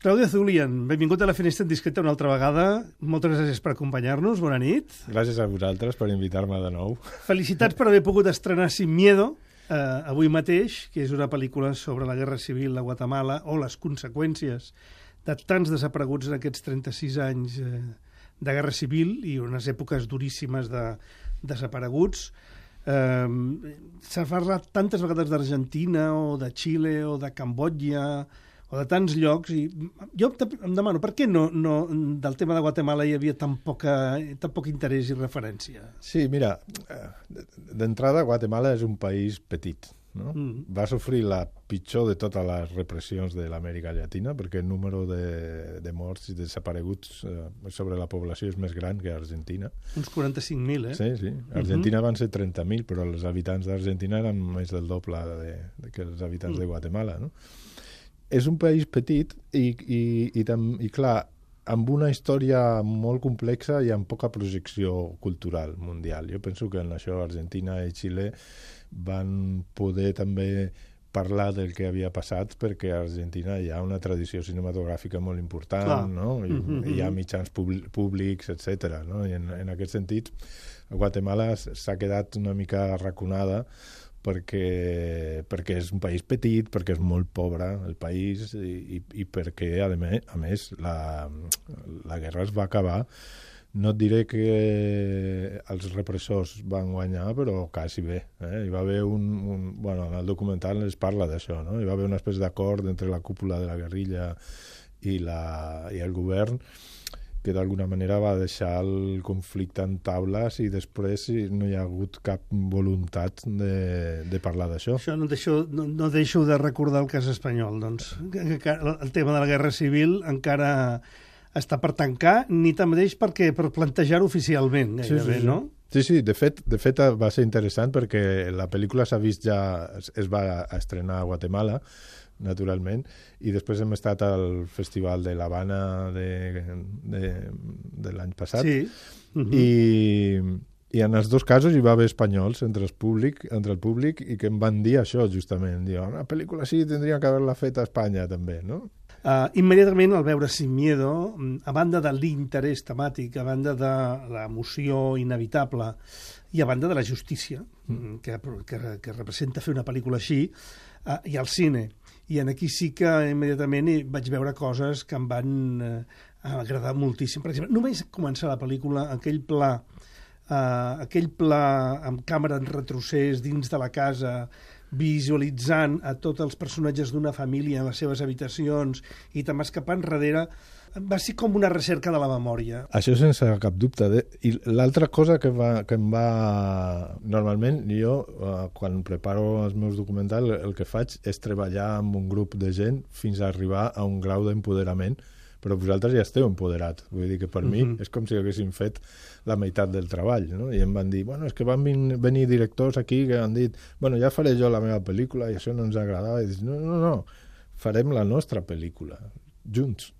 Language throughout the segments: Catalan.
Claudio Zulian, benvingut a la Finestra Indiscreta una altra vegada. Moltes gràcies per acompanyar-nos. Bona nit. Gràcies a vosaltres per invitar-me de nou. Felicitats per haver pogut estrenar Sin Miedo avui mateix, que és una pel·lícula sobre la Guerra Civil a Guatemala o les conseqüències de tants desapareguts en aquests 36 anys de Guerra Civil i unes èpoques duríssimes de desapareguts. S'ha parlat tantes vegades d'Argentina o de Xile o de Cambodja o de tants llocs, i jo em demano per què no del tema de Guatemala hi havia tan poc interès i referència? Sí, mira, d'entrada Guatemala és un país petit, no? Va sofrir la pitjor de totes les repressions de l'Amèrica Llatina, perquè el número de morts i desapareguts sobre la població és més gran que Argentina. Uns 45.000, Sí, sí. Argentina van ser 30.000, però els habitants d'Argentina eren més del doble que els habitants de Guatemala, no? És un país petit i clar, amb una història molt complexa i amb poca projecció cultural mundial. Jo penso que en això Argentina i Xile van poder també parlar del que havia passat, perquè a Argentina hi ha una tradició cinematogràfica molt important, no? Hi ha mitjans públics, etc. No? I en aquest sentit, Guatemala s'ha quedat una mica arraconada perquè és un país petit, perquè és molt pobre el país i perquè, a més, la guerra es va acabar. No et diré que els repressors van guanyar, però quasi bé. Hi va haver bueno, en el documental es parla d'això, no? Hi va haver una espècie d'acord entre la cúpula de la guerrilla i el govern, que d'alguna manera va deixar el conflicte en taules i després no hi ha hagut cap voluntat de parlar d'això. Això no deixo de recordar el cas espanyol, doncs. El tema de la Guerra Civil encara està per tancar, ni tanmateix per plantejar-ho oficialment, gairebé, no? Sí, de fet va ser interessant perquè la pel·lícula s'ha vist ja, es va estrenar a Guatemala, naturalment, i després hem estat al Festival de l'Havana de l'any passat, i en els dos casos hi va haver espanyols entre el públic i que em van dir això, justament. Diuen, una pel·lícula així tindria que haver-la fet a Espanya, també, no? Immediatament, al veure Sin Miedo, a banda de l'interès temàtic, a banda de l'emoció inevitable i a banda de la justícia que representa fer una pel·lícula així, i al cine. I aquí sí que immediatament vaig veure coses que em van agradar moltíssim. Per exemple, només començar la pel·lícula, aquell pla amb càmera en retrocés dins de la casa, visualitzant a tots els personatges d'una família en les seves habitacions i te'n vas cap enrere, va ser com una recerca de la memòria. Això sense cap dubte. I l'altra cosa que em va... Normalment, jo, quan preparo els meus documentals, el que faig és treballar amb un grup de gent fins a arribar a un grau d'empoderament, però vosaltres ja esteu empoderat. Vull dir que per mi és com si haguéssim fet la meitat del treball, no? I em van dir, bueno, és que van venir directors aquí que han dit, bueno, ja faré jo la meva pel·lícula i això no ens agradava. I dic, no, farem la nostra pel·lícula, junts,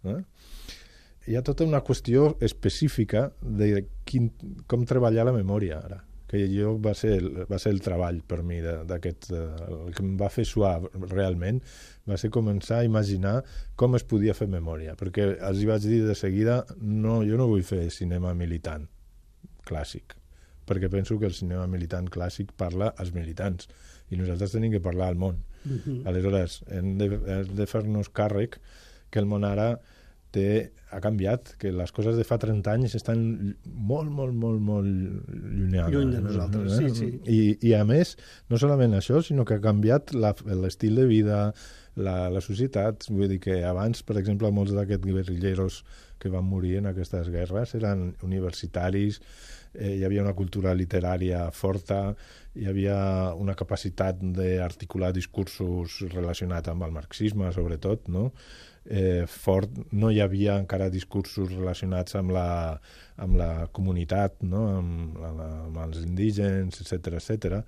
Hi ha tota una qüestió específica de com treballar la memòria ara, que va ser el treball per mi d'aquest, el que em va fer suar realment va ser començar a imaginar com es podia fer memòria, perquè els hi vaig dir de seguida, jo no vull fer cinema militant clàssic, perquè penso que el cinema militant clàssic parla als militants i nosaltres tenim que parlar al món. Aleshores, hem de fer-nos càrrec que el món ara ha canviat, que les coses de fa 30 anys estan molt, molt, molt, molt llunyades. Lluny de nosaltres, sí. I a més, no solament això, sinó que ha canviat l'estil de vida, la societat. Vull dir que abans, per exemple, molts d'aquests guerrilleros que van morir en aquestes guerres eren universitaris, hi havia una cultura literària forta, hi havia una capacitat d'articular discursos relacionats amb el marxisme, sobretot, no? Fort, no hi havia encara discursos relacionats amb la comunitat, no? amb els indígens, etc.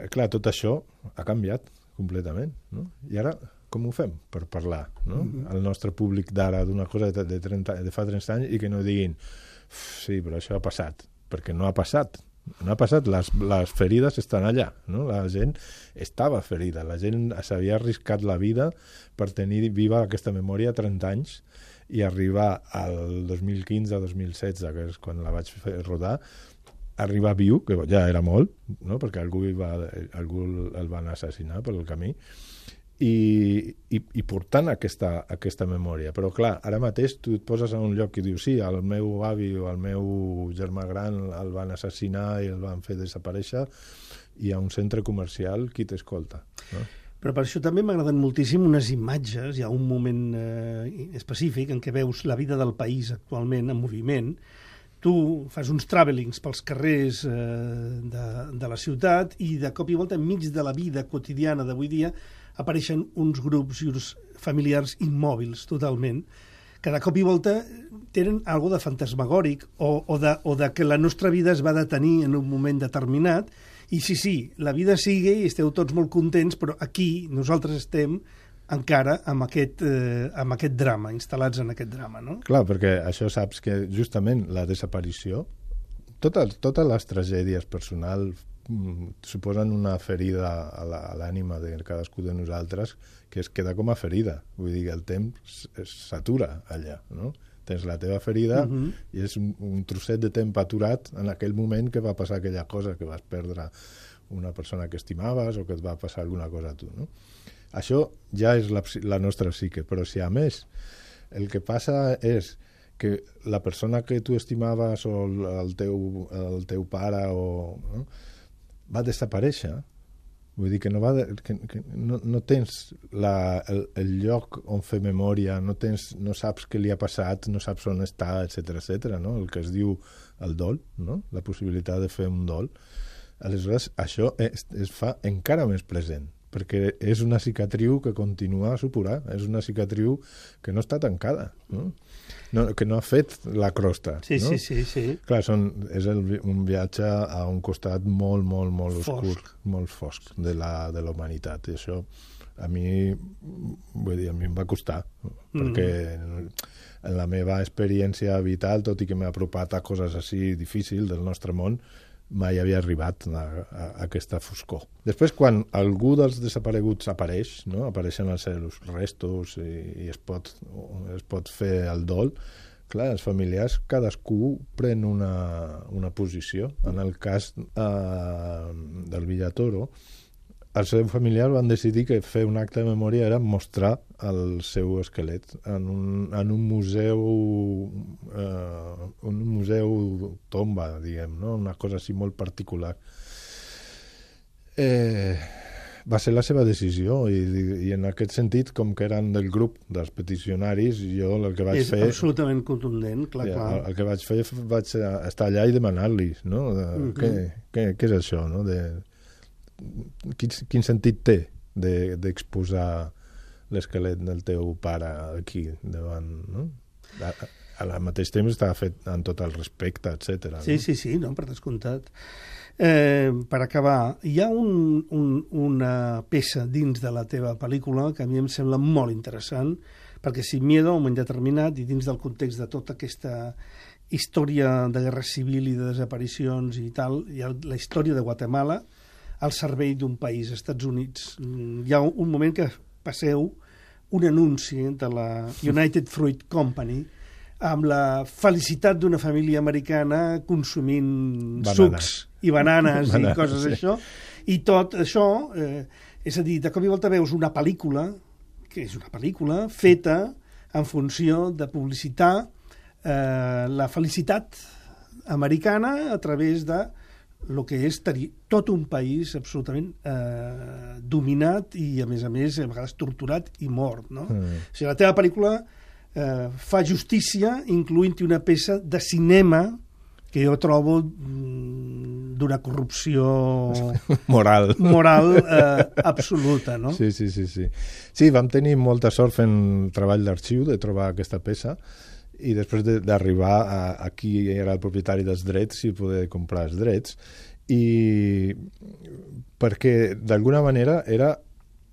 Clar, tot això ha canviat completament, no? I ara com ho fem per parlar, no? Al nostre públic d'ara d'una cosa de fa 30 anys i que no diguin sí, però això ha passat, perquè no ha passat. No ha passat, les ferides estan allà, no? La gent estava ferida, la gent s'havia arriscat la vida per tenir viva aquesta memòria 30 anys i arribar al 2015-2016, que és quan la vaig fer rodar, arribar viu, que ja era molt, no? Perquè algú el van assassinar pel camí, i portant aquesta memòria. Però clar, ara mateix tu et poses a un lloc i dius sí, el meu avi o el meu germà gran el van assassinar i el van fer desaparèixer, i a un centre comercial qui t'escolta, no? Però per això també m'agraden moltíssim unes imatges, hi ha un moment específic en què veus la vida del país actualment en moviment. Tu fas uns travelings pels carrers de la ciutat i de cop i volta enmig de la vida quotidiana d'avui dia apareixen uns grups i uns familiars immòbils totalment, que de cop i volta tenen algo de fantasmagòric o de que la nostra vida es va detenir en un moment determinat. I sí, la vida sigue i esteu tots molt contents, però aquí nosaltres estem encara amb aquest drama, instal·lats en aquest drama, no? Clar, perquè això saps que justament la desaparició, totes les tragèdies personals suposen una ferida a l'ànima de cadascú de nosaltres que es queda com a ferida. Vull dir que el temps s'atura allà, no? Tens la teva ferida i és un trosset de temps aturat en aquell moment que va passar aquella cosa, que vas perdre una persona que estimaves o que et va passar alguna cosa a tu, no? Això ja és la nostra psique, però si a més el que passa és que la persona que tu estimaves o el teu pare no, va desaparèixer, vull dir que no tens el lloc on fer memòria, no saps què li ha passat, no saps on està, etc., no? El que es diu el dol, no? La possibilitat de fer un dol. Aleshores, això es fa encara més present, perquè és una cicatriu que continua a supurar, és una cicatriu que no està tancada, no? Que no ha fet la crosta. Sí, no? Sí. Clar, és un viatge a un costat molt, molt, molt obscur, molt fosc de la humanitat. I això a mi em va costar, perquè en la meva experiència vital, tot i que m'he apropat a coses així difícils del nostre món, mai havia arribat a aquesta foscor. Després, quan algú dels desapareguts apareix, no? Apareixen els seus restos i es pot fer el dol, clar, els familiars, cadascú pren una posició. En el cas del Villatoro, els seus familiars van decidir que fer un acte de memòria era mostrar el seu esquelet en un museu tomba, diguem, no? Una cosa així molt particular. Va ser la seva decisió i en aquest sentit, com que eren del grup dels peticionaris, jo el que vaig fer... És absolutament contundent, clar. El que vaig fer vaig estar allà i demanar-li, no? Què és això, no? Quin sentit té d'exposar l'esquelet del teu pare aquí davant, no? Al mateix temps estava fet amb tot el respecte, etc. Sí, no, per descomptat. Per acabar, hi ha una peça dins de la teva pel·lícula que a mi em sembla molt interessant, perquè Sin Miedo, a un moment determinat, i dins del context de tota aquesta història de guerra civil i de desaparicions i tal, hi ha la història de Guatemala al servei d'un país, Estats Units. Hi ha un moment que passeu un anunci de la United Fruit Company amb la felicitat d'una família americana consumint sucs i bananes i coses d'això. I tot això, és a dir, de cop i volta veus una pel·lícula, que és una pel·lícula feta en funció de publicitar la felicitat americana a través de el que és tenir tot un país absolutament dominat i, a més, a vegades torturat i mort, no? O sigui, la teva pel·lícula fa justícia incloent-hi una peça de cinema que jo trobo d'una corrupció moral absoluta, no? Sí. Sí, vam tenir molta sort fent treball d'arxiu de trobar aquesta peça i després d'arribar a qui era el propietari dels drets i poder comprar els drets, i perquè d'alguna manera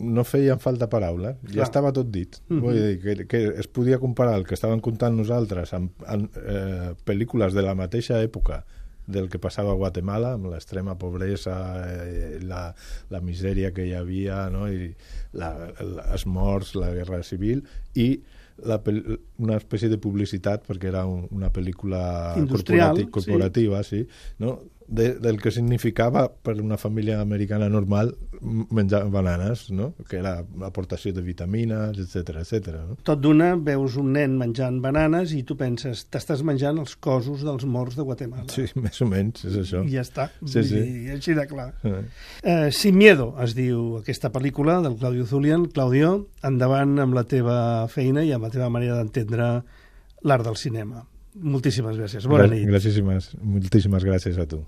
no feien falta paraules, ja estava tot dit. Vull dir que es podia comparar el que estaven contant nosaltres amb pel·lícules de la mateixa època del que passava a Guatemala, amb l'extrema pobresa, la misèria que hi havia, no? I els morts, la guerra civil, i una espècie de publicitat, perquè era una pel·lícula industrial, corporativa, sí, no? Del que significava per una família americana normal menjar bananes, no? Que era l'aportació de vitamines, etc. No? Tot d'una, veus un nen menjant bananes i tu penses, t'estàs menjant els cossos dels morts de Guatemala. Sí, més o menys, és això. I ja està, sí. I així de clar. Sin miedo, es diu aquesta pel·lícula del Claudio Zulian. Claudio, endavant amb la teva feina i amb la teva manera d'entendre l'art del cinema. Moltíssimes gràcies. Bona nit. Moltíssimes gràcies a tu.